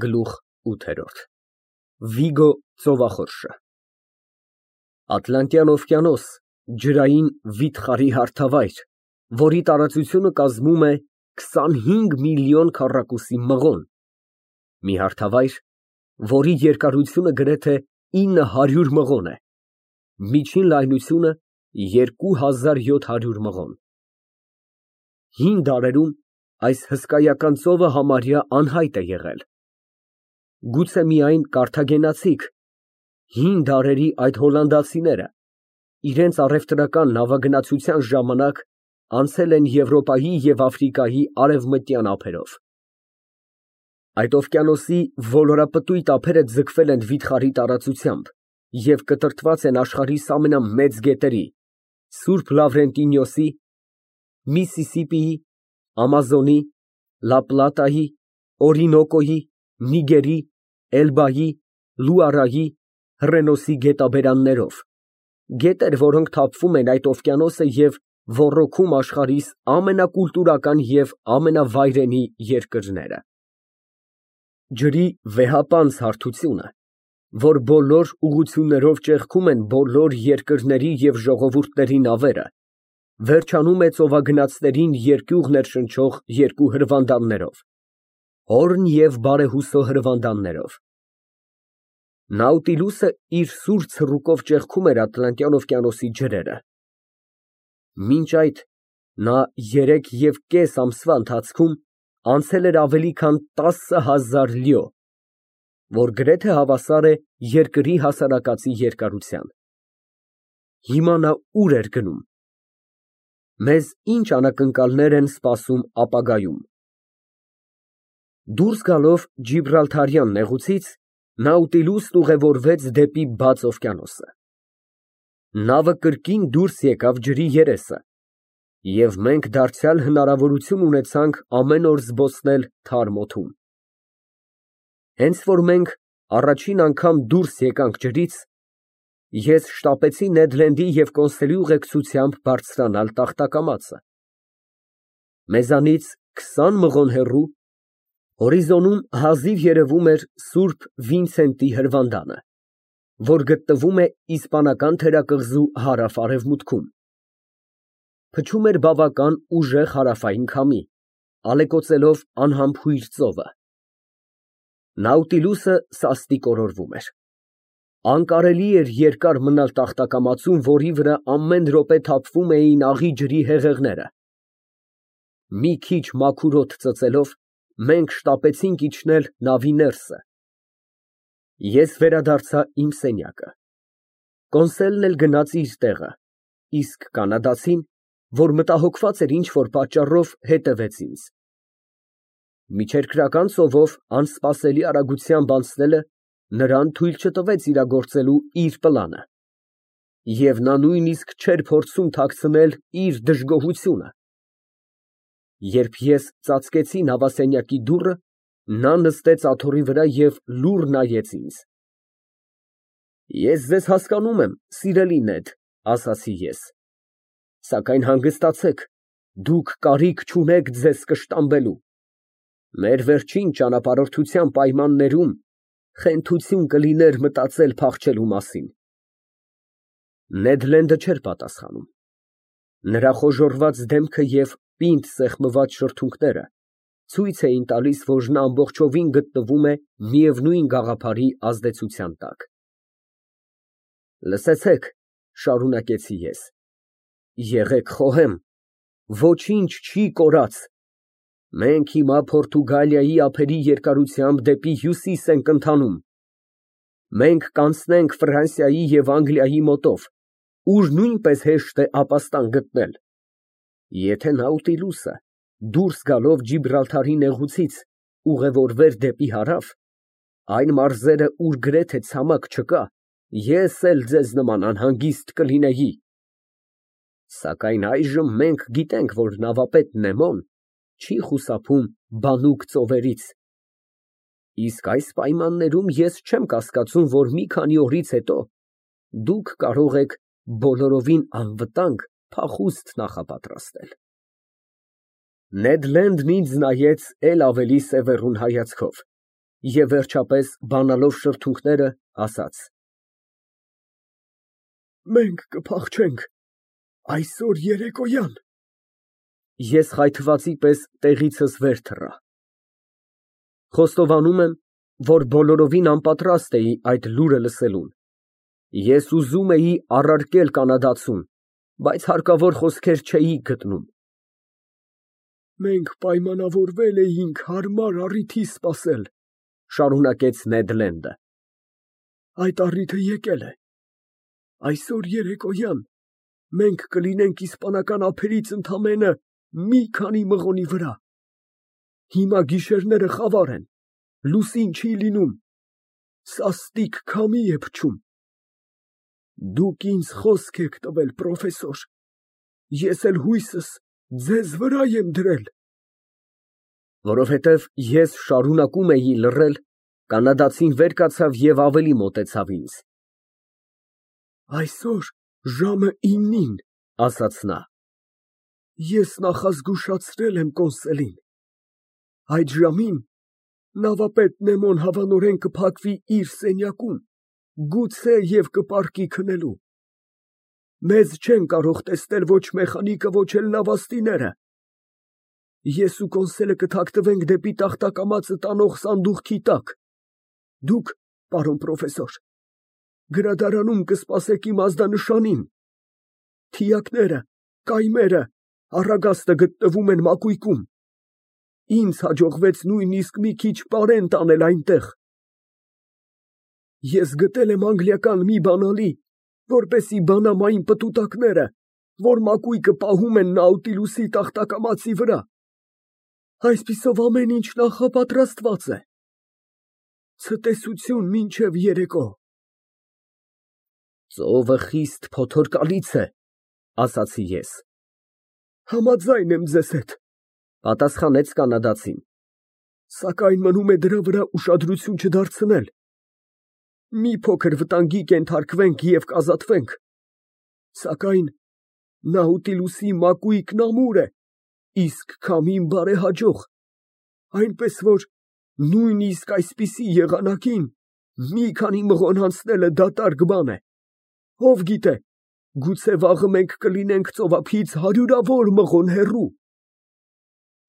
Գլուխ ութ Վիգո ծովախորշը Ատլանտյան օվկիանոս, ջրային վիթխարի հարթավայր, որի տարածությունը կազմում է 25 միլիոն քառակուսի մղոն, մի հարթավայր, որի երկարությունը գրեթե 900 մղոն է, միջին լայնությունը 2700 մղոն։ Հին դարերում այս հսկայական ծովը համարյա անհայտ է եղել։ Գուցե միայն կարթագենացիք, հին դարերի այդ հոլանդացիները, իրենց առևտրական նավագնացության ժամանակ անցել են Եվրոպայի և Աֆրիկայի արևմտյան ափերով։ Այդ օվկիանոսի ոլորապտույտ ափերը ձգվել են վիթխարի տարածությամբ և կտրտված են աշխարհիս ամենամեծ գետերի՝ Սուրբ Լավրենտինիոսի, Միսիսիպիի, Ամազոնի, Լա Պլատայի, Օրինոկոյի, Նիգերի, Էլբայի, Լուարայի, Հռենոսի գետաբերաններով, գետեր, որոնք թափվում են այդ օվկիանոսը և ոռոգում աշխարհիս ամենակուլտուրական և ամենավայրենի երկրները։ Ջրի վեհապանծ հարթությունը, որ բոլոր ուղղություններով ճեղքում են բոլոր երկրների և ժողովուրդների նավերը, վերջանում է ծովագնացներին երկյուղ ներշնչող երկու հրվանդաններով՝ Հորն և Բարեհուսո հրվանդաններով։ Նաուտիլուսը իր սուր ցռուկով ճեղքում էր Ատլանտյան օվկիանոսի ջրերը։ Մինչ այդ նա 3.5 ամսվա ընթացքում անցել էր ավելի քան 10,000 լյո, որ գրեթե հավասար է երկրի հասարակածի երկարության։ Հիմա նա ուր էր գնում։ Մեզ ինչ անակնկալներ են սպասում ապագայում։ Դուրս գալով Ջիբրալթարյան նեղուցից, Նաուտիլուսն ուղևորվեց դեպի բաց օվկիանոսը։ Նավը կրկին դուրս եկավ ջրի երեսը, և մենք դարձյալ հնարավորություն ունեցանք ամեն օր զբոսնել թարմ օդում։ Հենց որ մենք առաջին անգամ դուրս եկանք ջրից, ես շտապեցի Նեդ Լենդի և Կոնսելի ուղեկցությամբ բարձրանալ տախտակամածը։ Մեզանից 20 մղոն հեռու, հորիզոնում հազիվ երևում էր Սուրբ Վինսենտի հրվանդանը, որ գտնվում է իսպանական թերակղզու հարավ֊արևմուտքում։ Փչում էր բավական ուժեղ հարավային քամի, ալեկոծելով անհամբույր ծովը։ Նաուտիլուսը սաստիկ օրորվում էր։ Անկարելի էր երկար մնալ տախտակամածում, որի վրա ամեն րոպե թափվում էին աղի ջրի հեղեղները։ Մի քիչ մաքուր օդ ծծելով, մենք շտապեցինք իջնել նավի ներսը։ Ես վերադարձա իմ սենյակը։ Կոնսելն էլ գնաց իր տեղը, իսկ կանադացին, որ մտահոգված էր ինչ֊որ պատճառով, հետևեց ինձ։ Միջերկրական ծովով անսպասելի արագությամբ անցնելը նրան թույլ չտվեց իրագործելու իր պլանը, և նա նույնիսկ չէր փորձում թաքցնել իր դժգոհությունը։ Երբ ես ծածկեցի նավասենյակի դուռը, նա նստեց աթոռի վրա և լուռ նայեց ինձ։ Ես ձեզ հասկանում եմ, սիրելի Նեդ, ասացի ես, սակայն հանգստացեք, դուք կարիք չունեք ձեզ կշտամբելու։ Մեր վերջին ճանապարհորդության պայմաններում խենթություն կլիներ մտածել փախչելու մասին։ Նեդ Լենդը չէր պատասխանում։ Նրա խոժոռված դեմքը և պինդ սեղմված շրթունքները ցույց էին տալիս, որ նա ամբողջովին գտնվում է միևնույն գաղափարի ազդեցության տակ։ Լսեցեք, շարունակեցի ես, եղեք խոհեմ, ոչինչ չի կորած։ Մենք հիմա Պորտուգալիայի ափերի երկարությամբ դեպի հյուսիս ենք ընթանում։ Մենք կանցնենք Ֆրանսիայի և Անգլիայի մոտով, ուր նույնպես հեշտ է ապաստան գտնել։ Եթե Նաուտիլուսը, դուրս գալով Ջիբրալթարի նեղուցից, ուղևորվեր դեպի հարավ, այն մարզերը, ուր գրեթե ցամաք չկա, ես էլ ձեզ նման անհանգիստ կլինեի։ Սակայն այժմ մենք գիտենք, որ նավապետ Նեմոն չի խուսափում բանուկ ծովերից։ Իսկ այս պայմաններում ես չեմ կասկածում, որ մի քանի օրից հետո դուք կարող եք բոլորովին անվտանգ փախուստ նախապատրաստել։ Նեդ Լենդն ինձ նայեց էլ ավելի սևեռուն հայացքով, Եվ վերջապես, բանալով շրթունքները, ասաց. Մենք կփախչենք այսօր երեկոյան։ Ես խայթվածի պես տեղիցս վեր թռա։ Խոստովանում եմ, որ բոլորովին անպատրաստ էի այդ լուրը լսելուն։ Ես ուզում էի առարկել կանադացուն, բայց հարկավոր խոսքեր չէի գտնում։ Մենք պայմանավորվել էինք հարմար առիթի սպասել, Շարունակեց Նեդ Լենդը։ Այդ առիթը եկել է։ Այսօր երեկոյան մենք կլինենք իսպանական ափերից ընդամենը մի քանի մղոնի վրա։ Հիմա գիշերները խավար են, լուսին չի լինում, սաստիկ քամի է փչում։ Դուք ինձ խոսք եք տվել, պրոֆեսոր, ես էլ հույսս ձեզ վրա եմ դրել։ Որովհետև ես շարունակում էի լռել, կանադացին վեր կացավ և ավելի մոտեցավ ինձ։ Այսօր ժամը 9-ին, Ասաց նա։ Ես նախազգուշացրել եմ կոնսելին։ Այդ ժամին նավապետ Նեմոն հավանորեն կփակվի իր սենյակում, գուցե և կպառկի քնելու։ Մեզ չեն կարող տեսնել ոչ մեխանիկը, ոչ էլ նավաստիները։ Ես ու կոնսելը կթաքնվենք դեպի տախտակամածը տանող սանդուղքի տակ։ Դուք, պարոն պրոֆեսոր, գրադարանում կսպասեք իմ ազդանշանին։ Թիակները, կայմերը, առագաստը գտնվում են մակույկում։ Ինձ հաջողվեց նույնիսկ մի քիչ պարենտ անել այնտեղ։ Ես գտել եմ անգլիական մի բանալի, որպեսզի բանամ այն պտուտակները, որ մակույկը պահում են Նաուտիլուսի տախտակամածի վրա։ Այսպիսով ամեն ինչ նախապատրաստված է։ Ցտեսություն մինչև երեկո։ Ծովը խիստ փոթորկալից է, ասացի ես։ Համաձայն եմ ձեզ հետ, Պատասխանեց կանադացին։ Սակայն մնում է դրա վրա ուշադրություն չդարձնել։ Մի փոքր վտանգի կենթարկվենք և կազատվենք։ Սակայն Նաուտիլուսի մակույկն ամուր է, իսկ քամին բարեհաջող, այնպես որ նույնիսկ այսպիսի եղանակին մի քանի մղոն անցնելը դատարկ բան է։ Ով գիտե, գուցե վաղը մենք կլինենք ծովափից հարյուրավոր մղոն հեռու։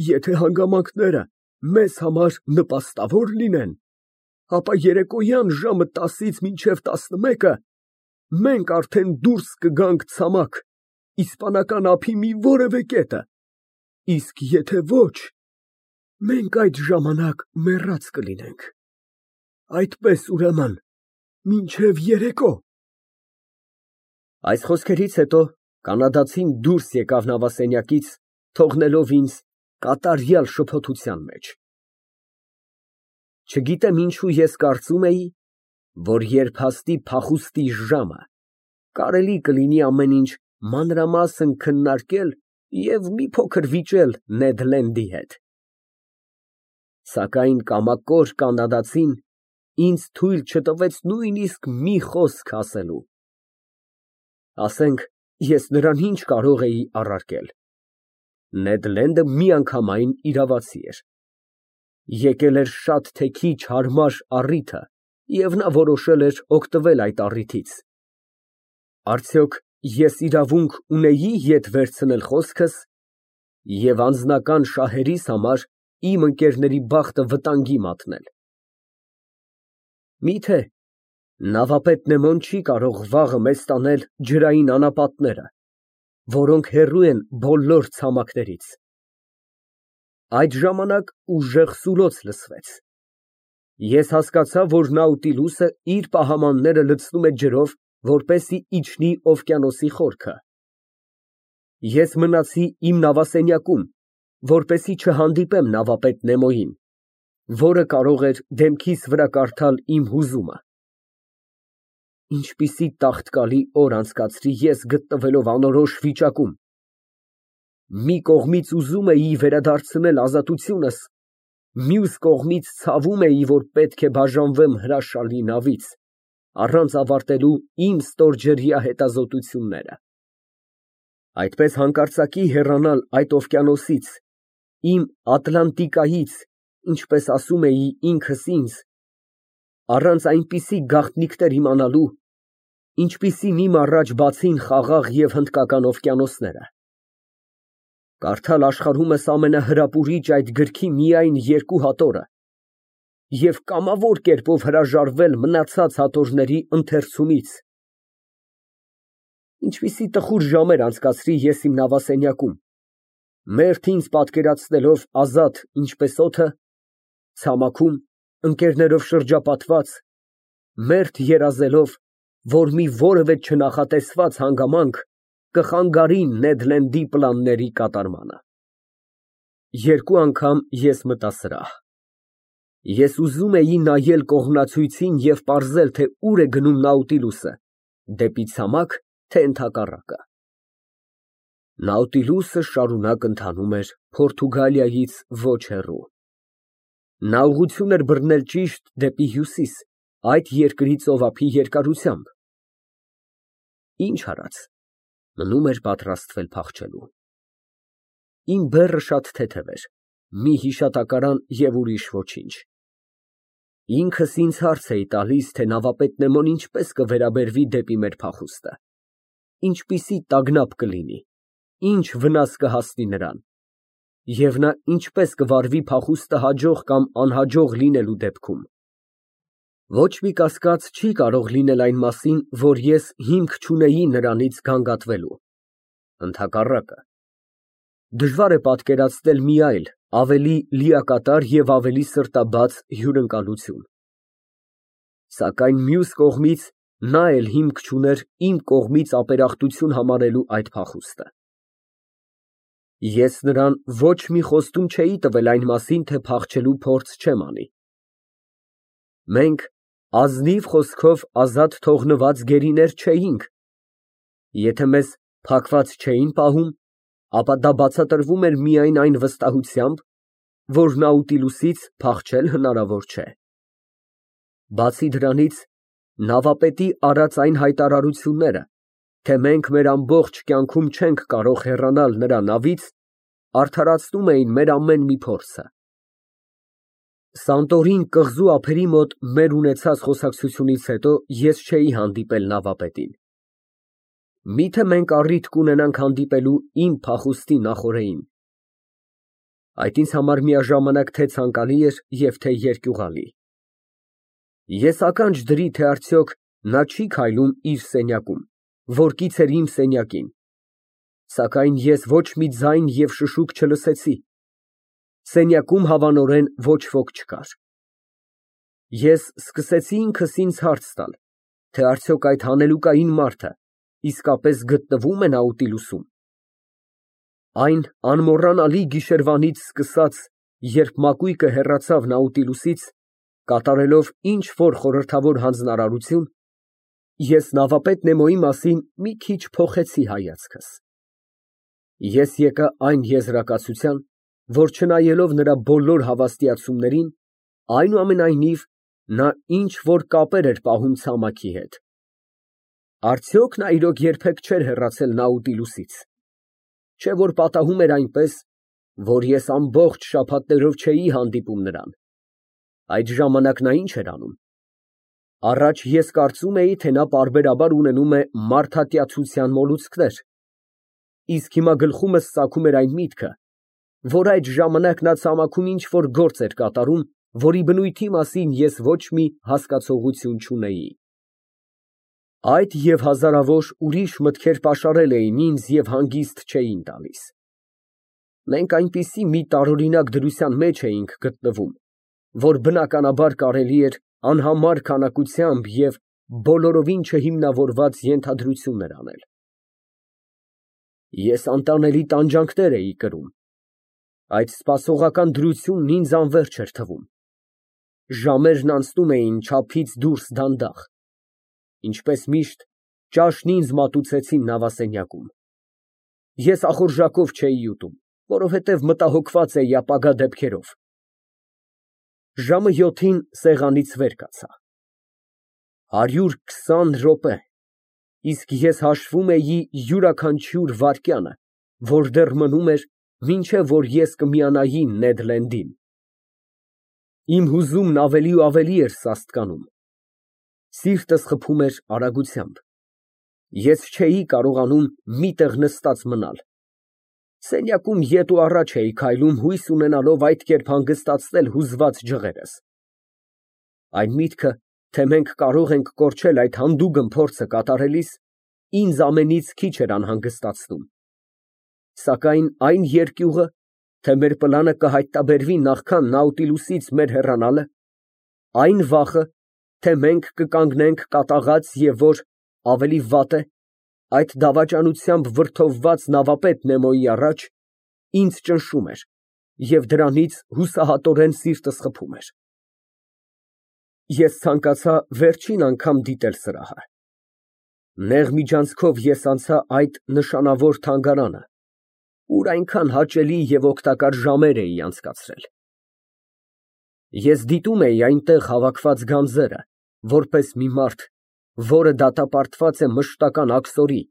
Եթե հանգամանքները մեզ համար նպաստավոր լինեն, ապա երեկոյան ժամը 10-ից մինչև 11-ը մենք արդեն դուրս կգանք ցամաք, իսպանական ափի մի որևէ կետը, իսկ եթե ոչ, մենք այդ ժամանակ մեռած կլինենք։ Այդպես ուրեմն, մինչև երեկո։ Այս խոսքերից հետո կանադացին դուրս եկավ նավասենյակից, թողնելով ինձ կատարյալ շփոթության մեջ։ Չգիտեմ ինչու ես կարծում էի, որ երբ հասնի փախուստի ժամը, կարելի կլինի ամեն ինչ մանրամասն քննարկել և մի փոքր վիճել Նեդ Լենդի հետ։ Սակայն կամակոր կանադացին ինձ թույլ չտվեց նույնիսկ մի խոսք ասելու։ Ասենք, ես նրան ինչ կարող էի առարկել։ Նեդ Լենդը միանգամայն իրավացի էր։ Եկել էր շատ թե քիչ հարմար առիթը, և նա որոշել էր օգտվել այդ առիթից։ Արդյոք ես իրավունք ունեի ետ վերցնել խոսքս և անձնական շահերիս համար իմ ընկերների բախտը վտանգի մատնել։ Միթե նավապետ Նեմոն չի կարող վաղը մեզ տանել ջրային անապատները, որոնք հեռու են բոլոր ցամաքներից։ Այդ ժամանակ ուժեղ սուլոց լսվեց։ Ես հասկացա, որ Նաուտիլուսը իր պահամանները լցնում է ջրով, որպեսզի իջնի օվկիանոսի խորքը։ Ես մնացի իմ նավասենյակում, որպեսզի չհանդիպեմ նավապետ Նեմոյին, որը կարող էր դեմքիս վրա կարդալ իմ հուզումը։ Ինչպիսի տաղտկալի օր անցկացրի ես գտնվելով անորոշ վիճակում։ Մի կողմից ուզում էի վերադարձնել ազատությունս, մյուս կողմից ցավում էի, որ պետք է բաժանվեմ հրաշալի նավից, առանց ավարտելու իմ ստորջրյա հետազոտությունները։ Այդպես հանկարծակի հեռանալ այդ օվկիանոսից, իմ Ատլանտիկայից ինչպես ասում էի ինքս ինձ, առանց այնպիսի գաղտնիքներ իմանալու, ինչպիսին իմ առաջ բացին Խաղաղ և Հնդկական օվկիանոսները։ Կարդալ աշխարհումս ամենահրապուրիչ այդ գրքի միայն 2 հատորը և կամավոր կերպով հրաժարվել մնացած հատորների ընթերցումից։ Ինչպիսի տխուր ժամեր անցկացրի ես իմ նավասենյակում, մերթ ինձ պատկերացնելով ազատ ինչպես օդը, ցամաքում, ընկերներով շրջապատված, մերթ երազելով, որ մի որևէ չնախատեսված հանգամանք կխանգարի Նեդ Լենդի պլանների կատարմանը։ 2 անգամ ես մտա սրահ։ Ես ուզում էի նայել կողմնացույցին և պարզել, թե ուր է գնում Նաուտիլուսը, դեպի ցամաք, թե ընդհակառակը։ Նաուտիլուսը շարունակ ընթանում էր Պորտուգալիայից ոչ հեռու։ Նա ուղղություն էր բռնել ճիշտ դեպի հյուսիս, այդ երկրի ծովափի երկարությամբ։ Ինչ արած, մնում էր պատրաստվել փախչելու։ Իմ բեռը շատ թեթև էր, մի հիշատակարան և ուրիշ ոչինչ։ Ինքս ինձ հարց էի տալիս, թե նավապետ Նեմոն ինչպես կվերաբերվի դեպի մեր փախուստը, ինչպիսի տագնապ կլինի, ինչ վնաս կհասնի նրան, և նա ինչպես կվարվի փախուստը հաջող կամ անհաջող լինելու դեպքում։ Ոչ մի կասկած չի կարող լինել այն մասին, որ ես հիմք չունեի նրանից գանգատվելու։ Ընդհակառակը, դժվար է պատկերացնել մի այլ, ավելի լիակատար և ավելի սրտաբաց հյուրընկալություն։ Սակայն մյուս կողմից, նա էլ հիմք չուներ իմ կողմից ապերախտություն համարելու այդ փախուստը։ Ես նրան ոչ մի խոստում չէի տվել այն մասին, թե փախչելու փորձ չեմ անի։ Մենք ազնիվ խոսքով ազատ թողնված գերիներ չէինք։ Եթե մեզ փակված չէին պահում, ապա դա բացատրվում էր միայն այն վստահությամբ, որ Նաուտիլուսից փախչել հնարավոր չէ։ Բացի դրանից, նավապետի արած այն հայտարարությունները, թե մենք մեր ամբողջ կյանքում չենք կարող հեռանալ նրա նավից, արդարացնում էին մեր ամեն մի փորձը։ Սանտորին կղզու ափերի մոտ մեր ունեցած խոսակցությունից հետո ես չէի հանդիպել նավապետին։ Միթե մենք առիթ կունենանք հանդիպելու իմ փախուստի նախօրեին։ Այդ ինձ համար միաժամանակ թե ցանկալի էր և թե երկյուղալի։ Ես ականջ դրի, թե արդյոք նա չի քայլում իր սենյակում, որ կից էր իմ սենյակին, սակայն ես ոչ մի ձայն և շշուկ չլսեցի։ Սենյակում հավանորեն ոչ ոք չկար։ Ես սկսեցի ինքս ինձ հարց տալ, թե արդյոք այդ հանելուկային մարդը իսկապես գտնվո՞ւմ է Նաուտիլուսում։ Այն անմոռանալի գիշերվանից սկսած, երբ մակույկը հեռացավ Նաուտիլուսից, կատարելով ինչ֊որ խորհրդավոր հանձնարարություն, ես նավապետ Նեմոյի մասին մի քիչ փոխեցի հայացքս։ Ես եկա այն եզրակացության, որ չնայելով նրա բոլոր հավաստիացումներին, այնուամենայնիվ, նա ինչ֊որ կապեր էր պահում ցամաքի հետ։ Արդյոք նա իրոք երբեք չէր հեռացել Նաուտիլուսից։ Չէ՞ որ պատահում էր այնպես, որ ես ամբողջ շաբաթներով չէի հանդիպում նրան։ Այդ ժամանակ նա ինչ էր անում։ Առաջ ես կարծում էի, թե նա պարբերաբար ունենում է մարդատյացության մոլուցքներ, իսկ հիմա գլխումս ծագում էր այն միտքը, որ այդ ժամանակ նա ցամաքում ինչ֊որ գործ էր կատարում, որի բնույթի մասին ես ոչ մի հասկացողություն չունեի։ Այդ և հազարավոր ուրիշ մտքեր պաշարել էին ինձ և հանգիստ չէին տալիս։ Մենք այնպիսի մի տարօրինակ դրության մեջ էինք գտնվում, որ բնականաբար կարելի էր անհամար քանակությամբ և բոլորովին չհիմնավորված ենթադրություններ անել։ Ես անտանելի տանջանքներ էի կրում։ Այդ սպասողական դրությունն ինձ անվերջ էր թվում։ Ժամերն անցնում էին չափից դուրս դանդաղ։ Ինչպես միշտ, ճաշն ինձ մատուցեցին նավասենյակում։ Ես ախորժակով չէի ուտում, որովհետև մտահոգված էի ապագա դեպքերով։ Ժամը 7-ին սեղանից վեր կացա։ 120 րոպե, իսկ ես հաշվում էի յուրաքանչյուր վայրկյանը, որ դեռ մնում էր, մինչև որ ես կմիանայի Նեդ Լենդին։ Իմ հուզումն ավելի ու ավելի էր սաստկանում։ Սիրտս խփում էր արագությամբ։ Ես չէի կարողանում մի տեղ նստած մնալ։ Սենյակում ետ ու առաջ էի քայլում, հույս ունենալով այդ կերպ հանգստացնել հուզված ջղերս։ Այն միտքը, թե մենք կարող ենք կորչել այդ հանդուգն փորձը կատարելիս, ինձ ամենից քիչ էր անհանգստացնում։ Սակայն այն երկյուղը, թե մեր պլանը կհայտնաբերվի նախքան Նաուտիլուսից մեր հեռանալը, այն վախը, թե մենք կկանգնենք կատաղած և որ, ավելի վատ է, այդ դավաճանությամբ վրդովված նավապետ Նեմոյի առաջ, ինձ ճնշում էր և դրանից հուսահատորեն սիրտս խփում էր։ Ես ցանկացա վերջին անգամ դիտել սրահը։ Նեղ միջանցքով ես անցա այդ նշանավոր թանգարանը, ուր այնքան հաճելի և օգտակար ժամեր էի անցկացրել։ Ես դիտում էի այնտեղ հավաքված գանձերը, որպես մի մարդ, որը դատապարտված է մշտական աքսորի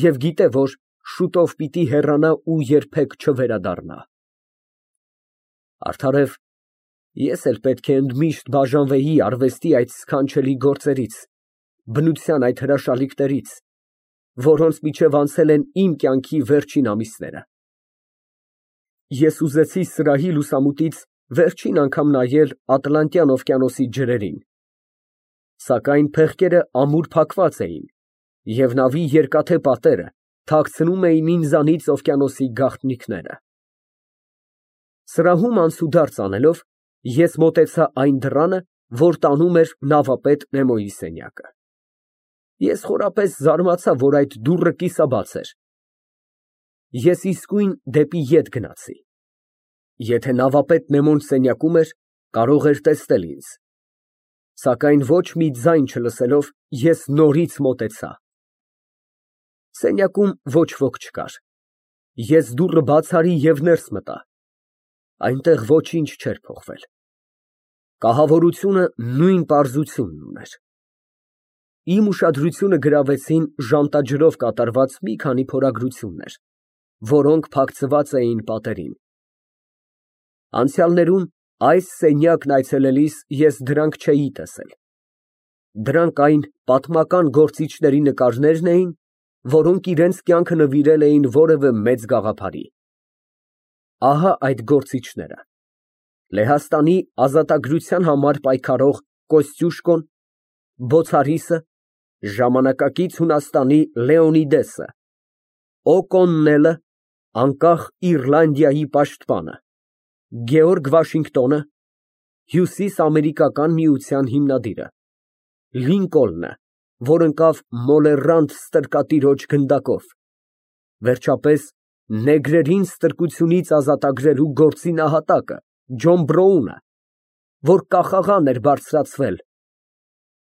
և գիտե, որ շուտով պիտի հեռանա ու երբեք չվերադառնա։ Արդարև, ես էլ պետք է ընդմիշտ բաժանվեի արվեստի այդ սքանչելի գործերից, բնության այդ հրաշալիքներից, որոնց միջև անցել են իմ կյանքի վերջին ամիսները։ Ես ուզեցի սրահի լուսամուտից վերջին անգամ նայել Ատլանտյան օվկիանոսի ջրերին, սակայն փեղկերը ամուր փակված էին, և նավի երկաթե պատերը թաքցնում էին ինձանից օվկիանոսի գաղտնիքները։ Սրահում անցուդարձ անելով, ես մոտեցա այն դռանը, որ տանում էր նավապետ Նեմոյի սենյակը։ Ես խորապես զարմացա, որ այդ դուռը կիսաբաց էր։ Ես իսկույն դեպի ետ գնացի։ Եթե նավապետ Նեմոն սենյակում էր, կարող էր տեսնել ինձ։ Սակայն ոչ մի ձայն չլսելով, ես նորից մոտեցա։ Սենյակում ոչ ոք չկար։ Ես դուռը բաց արի և ներս մտա։ Այնտեղ ոչինչ չէր փոխվել։ Կահավորությունը նույն պարզությունն ուներ։ Իմ ուշադրությունը գրավեցին ժանտաջրով կատարված մի քանի փորագրություններ, որոնք փակցված էին պատերին։ Անցյալներում այս սենյակն այցելելիս ես դրանք չէի տեսել։ Դրանք այն պատմական գործիչների նկարներն էին, որոնք իրենց կյանքը նվիրել էին որևէ մեծ գաղափարի։ Ահա այդ գործիչները. Լեհաստանի ազատագրության համար պայքարող Կոստյուշկոն, Բոցարիսը, ժամանակակից Հունաստանի Լեոնիդեսը, Օ'Կոննելը, անկախ Իռլանդիայի պաշտպանը, Գեորգ Վաշինգտոնը, Հյուսիսամերիկական միության հիմնադիրը, Լինկոլնը, որ ընկավ մոլեռանդ ստրկատիրոջ գնդակով, վերջապես նեգրերին ստրկությունից ազատագրելու գործի նահատակը Ջոն Բրոունը, որ կախաղան էր բարձրացվել,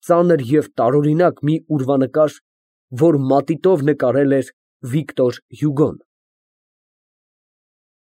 ծանր և տարօրինակ մի ուրվանկար, որ մատիտով նկարել էր Վիկտոր Հյուգոն։